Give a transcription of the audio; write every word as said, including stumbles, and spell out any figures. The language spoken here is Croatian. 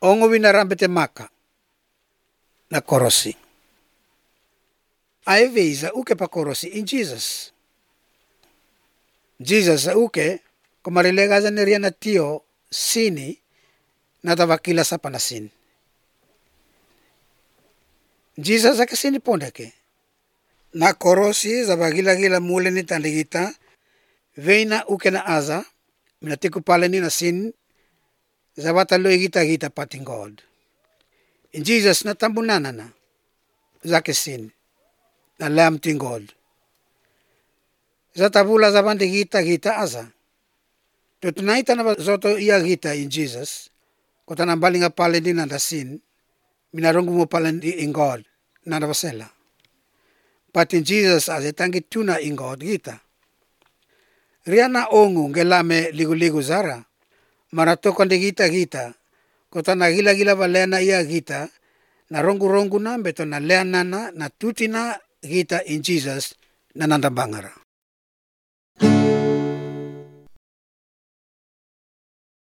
ongo winarambe te maka na korosi. Ai veiza uke pa korosi in Jesus. Jesus sa uke kumarilega za neria na tio sini na tawakila sa panasin. Jesus sa kasini pondake. Na korosi za bagila-gila mule ni tandigita veina uke na aza minatiku pale ni na sin za wataloi gita-gita pating God. In Jesus na tambunana na zake sin na lam ting God. Za tabula za bandi gita-gita aza. Tutunaita na zoto iya gita in Jesus. Kota na balinga pale ni na sin minarungu mo pale in God na nabasela. But in Jesus as tangi tuna in God gita. Riana ongu ngelame ligu-ligu zara. Maratoko ndi gita-gita. Kota na gila-gila valena iya gita. Na rongu-rongu na beto na leanana na tutina gita in Jesus na nandabangara.